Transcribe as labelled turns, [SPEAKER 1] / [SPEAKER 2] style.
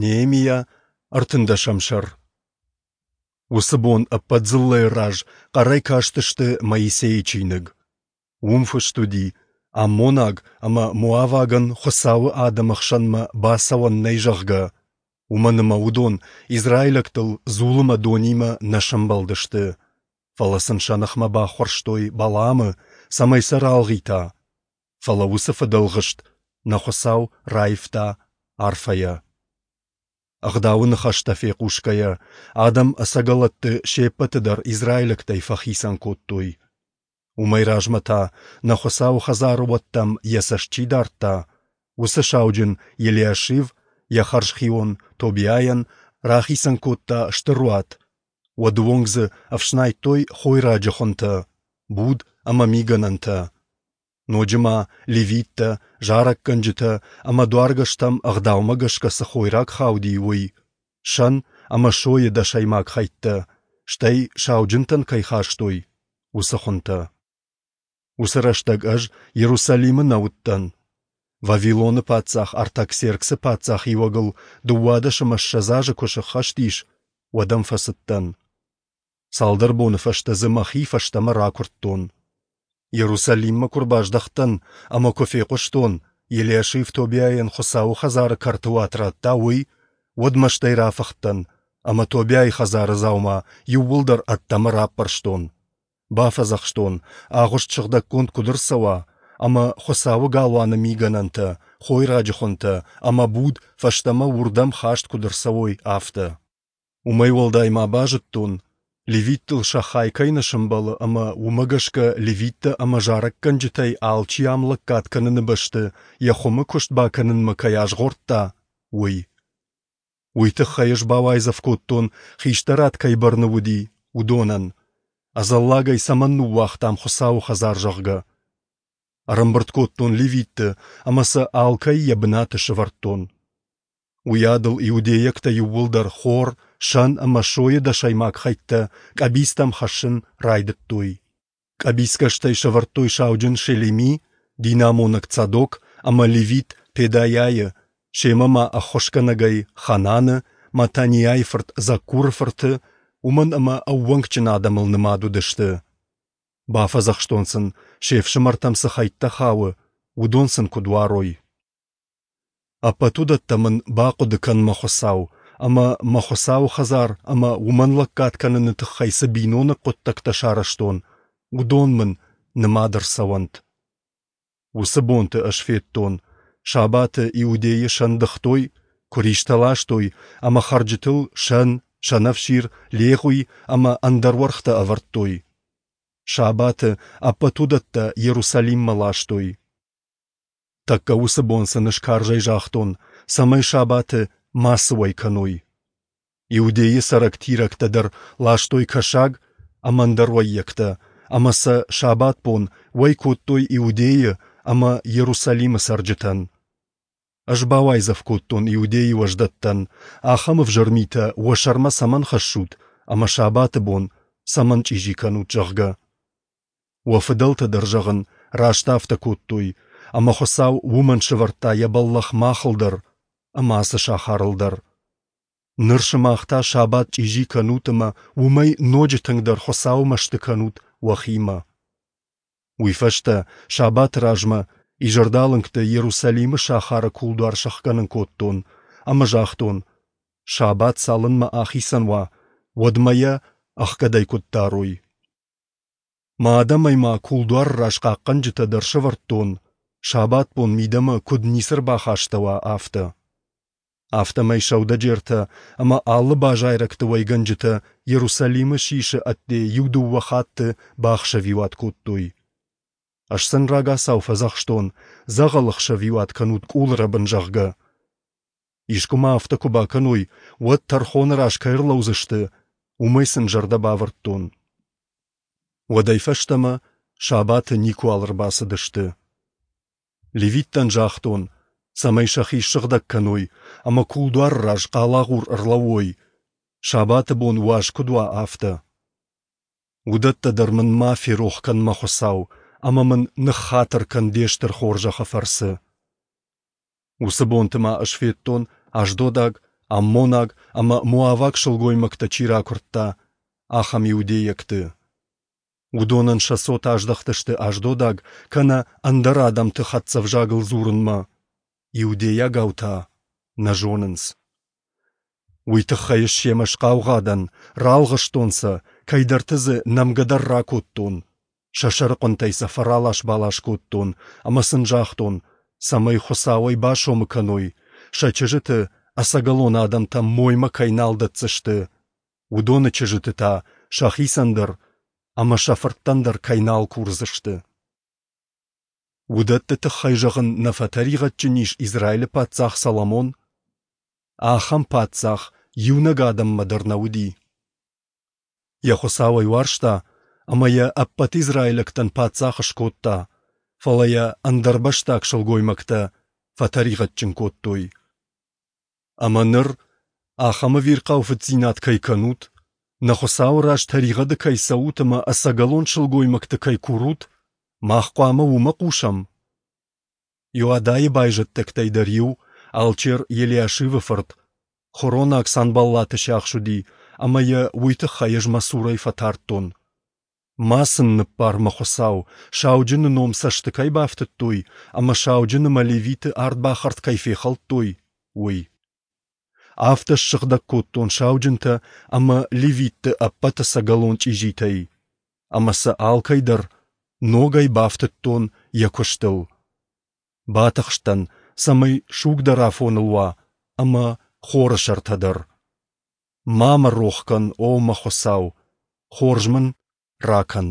[SPEAKER 1] Неемиа, ӕртындӕсӕм сӕр. Уыцы бон ӕппӕт дзыллӕйы раз хъӕрӕй кастысты Моисейы чиныг. Уым фыст уыди, аммонаг ӕмӕ моавагӕн Хуыцауы адӕмы хсӕнмӕ бацӕуӕн нӕй, зӕгъгӕ, уымӕн ӕмӕ уыдон израилӕгтыл дзул ӕмӕ донимӕ нӕ сӕмбӕлдысты, фӕлӕ сын сӕ ныхмӕ баххуырстой Балаамы, цӕмӕй сӕ ралгъита. Фӕлӕ уыцы фыдӕлгъыст нӕ Хуыцау раивта арфӕйӕ. Ӕгъдауы ныхӕстӕ фехъусгӕйӕ, адӕм ӕцӕгӕлӕтты се ппӕты дӕр израилӕгтӕй фӕхицӕн кодтой. Уымӕй размӕ та, нӕ Хуыцауы хӕдзары уӕттӕм йӕ цӕст чи дардта, уыцы сауджын Елиашив йӕ хӕрзхион Тобиайӕн рахицӕн кодта стыр уат, уӕды онг дзы ӕфснайдтой хойраджы хуынтӕ, буд ӕмӕ мигӕнӕнтӕ. Ноджы ма левиттӕ, зарӕггӕнджытӕ ӕмӕ дуаргӕстӕм ӕгъдаумӕ гӕсгӕ цы хойраг хауди, уый, сӕн ӕмӕ сойы дӕсӕймаг хӕйттӕ, стӕй сауджынтӕн кӕй хастой, уыцы хуынтӕ. Уыцы рӕстӕг ӕз Иерусалимы нӕ уыдтӕн. Вавилоны паддзах Артаксерксы паддзахиуӕгыл 22 азы куы сӕххӕст ис, уӕд ӕм фӕцыдтӕн. Цалдӕр боны фӕстӕ дзы мӕхи фӕстӕмӕ ракуырдтон. Иерусалиммӕ куы рбаздӕхтӕн ӕмӕ куы фехъуыстон, Елиашив Тобиайӕн Хуыцауы хӕдзары кӕрты уат радта, уый, уӕд мӕстӕй рафыхтӕн ӕмӕ Тобиайы хӕдзары дзаума иууылдӕр ӕддӕмӕ раппӕрстон. Бафӕдзӕхстон, агъуыст сыгъдӕггонд куыд ӕрцӕуа, ӕмӕ Хуыцауы галуаны мигӕнӕнтӕ, хойраджы хуынтӕ ӕмӕ буд фӕстӕмӕ уырдӕм хаст куыд ӕрцӕуой, афтӕ. Уымӕй уӕлдай ма базыдтон, левиттыл сӕ хай кӕй нӕ сӕмбӕлы ӕмӕ уымӕ гӕсгӕ левиттӕ ӕмӕ зарӕггӕнджытӕй алчи ам лӕггад кӕныны бӕсты йӕ хуымы куыст бакӕнынмӕ кӕй азгъордта, уый. Уый тыххӕй ӕз бауайдзӕф кодтон, хистӕрад кӕй бӕрны уыди, уыдонӕн, ӕдзӕллагӕй цӕмӕн ныууагътам Хуыцауы хӕдзар, зӕгъгӕ. Ӕрӕмбырд кодтон левитты ӕмӕ сӕ алкӕй йӕ бынаты сӕвӕрдтон. Уыйадыл иудейӕгтӕ иууылдӕр хор, сӕн ӕмӕ сойы дӕсӕймаг хӕйттӕ къӕбицтӕм хӕссын райдыдтой. Къӕбицгӕстӕй сӕвӕрдтой сауджын Шелеми, динамонӕг Цадок ӕмӕ левит Педайӕйы, семӕ ма ӕххуысгӕнӕгӕй Хананы, Матаниайы фырт Заккуры фырты, уымӕн ӕмӕ ӕууӕнкджын адӕмыл нымад уыдысты. Бафӕдзӕхстон сын, се фсымӕртӕм цы хӕйттӕ хауы, уыдон сын куыд уарой. Ӕппӕт уыдӕттӕ мын бахъуыды кӕн, мӕ Хуыцау, ӕмӕ мӕ Хуыцауы хӕдзар ӕмӕ уымӕн лӕггад кӕныны тыххӕй цы биноныг хъуыддӕгтӕ сарӕзтон, уыдон мын нымад ӕрцӕуӕнт. Уыцы бонты ӕз федтон, сабаты Иудейы сӕн дыгътой, куыристӕ ластой ӕмӕ хӕрджытыл сӕн, сӕнӕфсир, легъуи ӕмӕ ӕндӕр уӕргътӕ ӕвӕрдтой. Сабаты ӕппӕт уыдӕттӕ Иерусалиммӕ ластой. Тӕккӕ уыцы бон сын ӕз карзӕй загътон, цӕмӕй сабаты мацы уӕй кӕной. Иудейы цӕрӕг тирӕгтӕ дӕр ластой кӕсаг ӕмӕ ӕндӕр уӕййӕгтӕ, ӕмӕ сӕ сабатбон уӕй кодтой Иудейы ӕмӕ Иерусалимы цӕрджытӕн. Ӕз бауайдзӕф кодтон Иудейы уӕздӕттӕн, ахӕм ӕвзӕр митӕ уӕ сӕрмӕ цӕмӕн хӕссут ӕмӕ сабаты бон цӕмӕн чъизи кӕнут, зӕгъгӕ. Уӕ фыдӕлтӕ дӕр, зӕгъын, раст афтӕ кодтой, ӕмӕ Хуыцау уымӕн сӕвӕрдта йӕ бӕллӕх махыл дӕр ӕмӕ ацы сахарыл дӕр. Ныр сымах та сабат чъизи кӕнут ӕмӕ уымӕй ноджы тынгдӕр Хуыцауы мӕсты кӕнут уӕхимӕ. Уый фӕстӕ, сабаты размӕ, изӕрдалынгты Иерусалимы сахары кулдуар сӕхгӕнын кодтон ӕмӕ загътон, сабат цалынмӕ ахицӕн уа, уӕдмӕ йӕ ӕхгӕдӕй куыд дарой. Мӕ адӕмӕй ма кулдуары раз хъахъхъӕнджытӕ дӕр сӕвӕрдтон, сабатбон мидӕмӕ куыд ницы ӕрбахастӕуа, афтӕ. Афтӕмӕй сӕудӕджертӕ ӕмӕ алы базайрӕгты уӕйгӕнджытӕ Иерусалимы сисы ӕдде иу-дыууӕ хатты бахсӕвиуат кодтой. Ӕз сын рагацау фӕдзӕхстон, дзӕгъӕл ӕхсӕвиуат кӕнут къулрӕбын, зӕгъгӕ. Искуы ма афтӕ куы бакӕной, уӕд тӕрхоны раз кӕй ӕрлӕудзысты, уымӕй сын зӕрдӕ бавӕрдтон. Уӕдӕй фӕстӕмӕ сабаты никуал ӕрбацыдысты. Левиттӕн загътон, цӕмӕй сӕхи ссыгъдӕг кӕной ӕмӕ кулдуары раз хъалагъур ӕрлӕууой, сабаты бон уаз куыд уа, афтӕ. Уыдӕттӕ дӕр мын ма ферох кӕн, мӕ Хуыцау, ӕмӕ мын ныххатыр кӕн де стыр хорзӕхы фӕрцы. Уыцы бонты ма ӕз федтон аждодаг аммонаг ӕмӕ моаваг сылгоймӕгтӕ чи ракуырдта, ахӕм иудейӕгты. Уыдонӕн сӕ цот аздӕхтысты аждодаг кӕнӕ ӕндӕр адӕмты хӕццӕ ӕвзагыл дзурынмӕ, иудейагау та нӕ зонынц. Уый тыххӕй ӕз семӕ схъаугъа дӕн, ралгъыстон сӕ, кӕйдӕрты дзы нӕмгӕ дӕр ракодтон, сӕ сӕрыхъуынтӕй сӕ фӕралас-балас кодтон ӕмӕ сын загътон, цӕмӕй Хуыцауӕй басомы кӕной, сӕ чызджыты ӕцӕгӕлон адӕмтӕм моймӕ кӕй нал дӕтдзысты, уыдоны чызджыты та сӕхицӕн дӕр ӕмӕ сӕ фырттӕн дӕр кӕй нал курдзысты. Уыдӕтты тыххӕй зӕгъын нӕ фӕтӕригъӕдджын ис Израилы паддзах Соломон? Ахӕм паддзах иунӕг адӕммӕ дӕр нӕ уыди. Йӕ Хуыцау ӕй уарзта ӕмӕ йӕ ӕппӕт израилӕгтӕн паддзах скодта, фӕлӕ йӕ ӕндӕрбӕстаг сылгоймӕгтӕ фӕтӕригъӕдджын кодтой. Ӕмӕ ныр ахӕм ӕвирхъау фыддзинад кӕй кӕнут, нӕ Хуыцауы раз тӕригъӕды кӕй цӕут ӕмӕ ӕцӕгӕлон сылгоймӕгты кӕй курут, мах хъуамӕ уымӕ хъусӕм? Иоадайы байзӕддӕгтӕй дӕр иу, алчер Елиашивы фырт, хоронаг Санбаллаты сиахс уыди, ӕмӕ йӕ уый тыххӕй ӕз мӕ цурӕй фӕтардтон. Ма сын ныббар, мӕ Хуыцау, сауджыны ном цӕсты кӕй бафтыдтой ӕмӕ сауджын ӕмӕ левиты ардбахӕрд кӕй фехӕлдтой, уый. Афтӕ ссыгъдӕг кодтон сауджынтӕ ӕмӕ левитты ӕппӕт ӕцӕгӕлон чъизитӕй, ӕмӕ сӕ алкӕй дӕр ногӕй бафтыдтон йӕ куыстыл. Батыхстӕн, цӕмӕй суг дӕр афоныл уа ӕмӕ хоры сӕртӕ дӕр. Ма мӕ рох кӕн, о мӕ Хуыцау, хорз мын ракӕн.